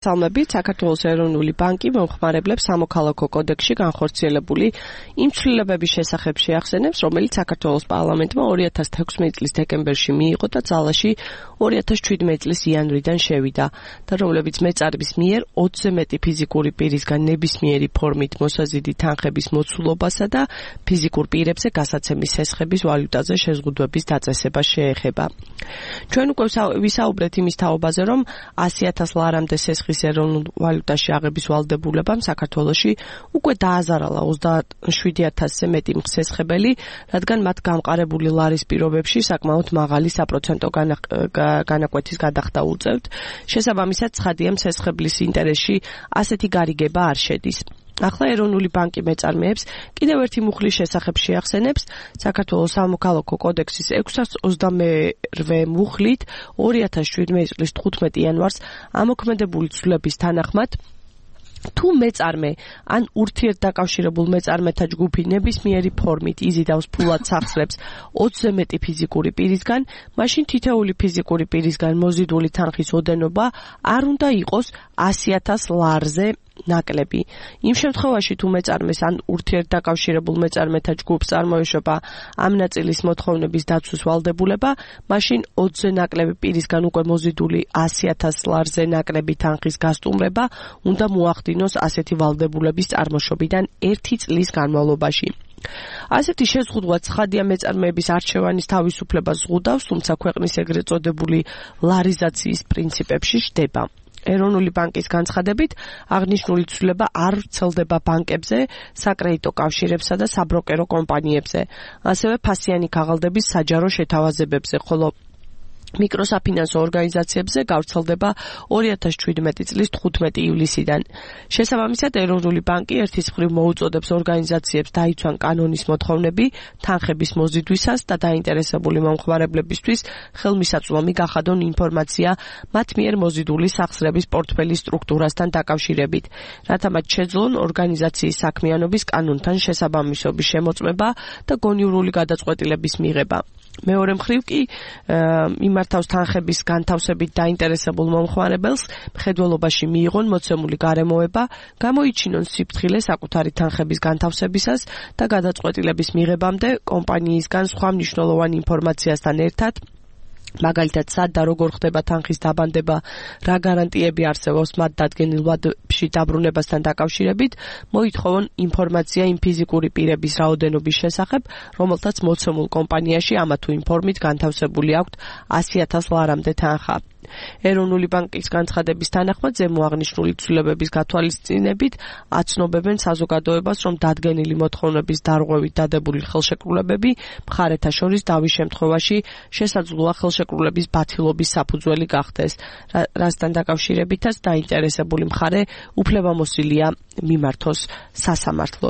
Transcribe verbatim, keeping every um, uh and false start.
მოგესალმებით. საქართველოს ეროვნული ბანკი მომხმარებლებს სამოქალაქო კოდექსში განხორციელებული იმ ცვლილებების შესახებ შეახსენებს, რომელიც საქართველოს პარლამენტმა ორი ათას თექვსმეტი წლის დეკემბერში მიიღო და ძალაში ორი ათას ჩვიდმეტი წლის იანვრიდან შევიდა და რომლებიც მეწარების მიერ ოცზე მეტი ფიზიკური პირისგან ნებისმიერი ფორმით მოსაზიდი თანხების მოცულობასა და ფიზიკურ პირებზე გასაცემის სესხების ვალუტაზე შეზღუდვების დაწესებას შეეხება. ჩვენ უკვე ვისაუბრეთ იმის თაობაზე, რომ ასი ათას ლარამდე სესხის ეროვნულ ვალუტაში აღების ვალდებულებამ საქართველოში უკვე დააზარალა ოცდაშვიდი ათასზე მეტი მსესხებელი, რადგან მათ გამყარებული ლარის პირობებში საკმაოდ მაღალი საპროცენტო განაკვეთის გადახდა უწევთ. შესაბამისად, ცხადია, მსესხებლის ინტერესში ასეთი გარიგება არ შედის. ახლა ეროვნული ბანკი მეწარმეებს კიდევ ერთი მუხლის შესახებ შეახსენებს. საქართველოს სამოქალაქო კოდექსის ექვსას ოცდამერვე მუხლით ორი ათას შვიდმეტი წლის თხუთმეტი იანვარს ამოქმედებული ცვლილების თანახმად თუ მეწარმე ან ურთიერთდაკავშირებულ მეწარმეთა ჯგუფი ნებისმიერი ფორმით იზიდავს ფულად სახსრებს ოცზე მეტი ფიზიკური პირისგან, მაშინ თითოეული ფიზიკური პირისგან მოზიდული თანხის ოდენობა არ უნდა იყოს ასი ათას ლარზე ნაკლები. იმ შემთხვევაში თუ მეწარმეს ან ურთიერთდაკავშირებულ მეწარმეთა ჯგუფს წარმოეშვება ამ ნაწილის მოთხოვნების დაცვის ვალდებულება, მაშინ ოცზე ნაკლები პირისგან უკვე მოზიდული ასი ათას ლარზე ნაკლები თანხის გასტუმრება უნდა მოახდინოს ასეთი ვალდებულების წარმოშობიდან ერთი წლის განმავლობაში. ასეთი შეზღუდვა ცხადია მეწარმეების არჩევანის თავისუფლებას ზღუდავს, თუმცა ქვეყნის ეგრეთ წოდებული ლარიზაციის პრინციპებში შდება. ეროვნული ბანკის განცხადებით, აღნიშნული ცვლილება არ ვრცელდება ბანკებზე, საკრედიტო კავშირებსა და საბროკერო კომპანიებზე, ასევე ფასიანი ქაღალდების საჯარო შეთავაზებებზე, ხოლო მიკროსაფინანსო ორგანიზაციებზე გავრცელდება ორი ათას შვიდმეტი წლის თხუთმეტი ივლისიდან. შესაბამისად, ეროვნული ბანკი ერთის მხრივ მოუწოდებს ორგანიზაციებს დაიცვან კანონის მოთხოვნები თანხების მოზიდვისას და დაინტერესებული მომხმარებლებისთვის ხელმისაწვდომი გახადონ ინფორმაცია მათ მიერ მოზიდული სახსრების პორტფელის სტრუქტურასთან დაკავშირებით, რათა მათ შეძლონ ორგანიზაციის საქმიანობის კანონთან შესაბამისობის შემოწმება და გონივრული გადაწყვეტილების მიღება. მეორე მხრივ კი მიმართავს თანხების განთავსებით დაინტერესებულ მომხმარებელს მხედველობაში მიიღონ მოცემული გარემოება, გამოიჩინონ სიფრთხილე საკუთარი თანხების განთავსებისას და გადაწყვეტილების მიღებამდე კომპანიისგან სხვა მნიშვნელოვან ინფორმაციასთან ერთად, მაგალითად, სად და როგორ ხდება თანხის დაბანდება, რა გარანტიები არსებობს მათ დადგენილ ვადებში დაბრუნებასთან დაკავშირებით, მოითხოვონ ინფორმაცია იმ ფიზიკური პირების რაოდენობის შესახებ, რომელთაც მოცემულ კომპანიაში ამა თუ იმ ფორმით განთავსებული აქვთ ასი ათას ლარამდე თანხა. ეროვნული ბანკის განცხადების თანახმად ზემო აღნიშნული ცვლილებების გათვალისწინებით აცნობებენ საზოგადოებას, რომ დადგენილი მოთხოვნების დარღვევით დადებული ხელშეკრულებები მხარეთა შორის დავის შემთხვევაში შესაძლოა ხელშეკრულების ბათილობის საფუძველი გახდეს, რასთან დაკავშირებითაც დაინტერესებული მხარე უფლებამოსილია მიმართოს სასამართლოს.